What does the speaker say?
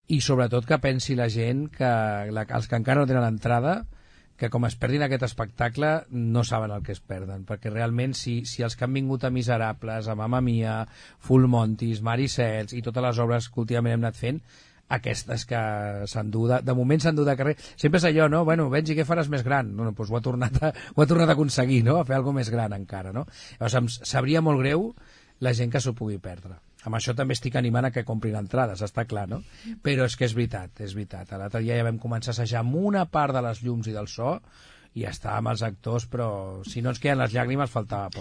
i sobretot que pensi la gent que els que encara no tenen entrada, que com es perdin aquest espectacle no saben el que es perden, perquè realment si els que han vingut a Miserables, a Mamma Mia, Full Monties, Maricels i totes les obres que últimament hem anat fent, aquestes que s'endú de moment s'endú de carrer, sempre és allò, no? Bueno, Benji, què faràs més gran? No, doncs ho ha tornat a aconseguir, no? A fer alguna més gran encara, no? Llavors em sabria molt greu la gent que s'ho pugui perdre. Amb això també estic animant a que comprin entrades, està clar, no? Però és que és veritat, és veritat. L'altre dia ja vam començar a assajar amb una part de les llums i del so i ja està amb els actors, però si no ens queden les llàgrimes faltava poc.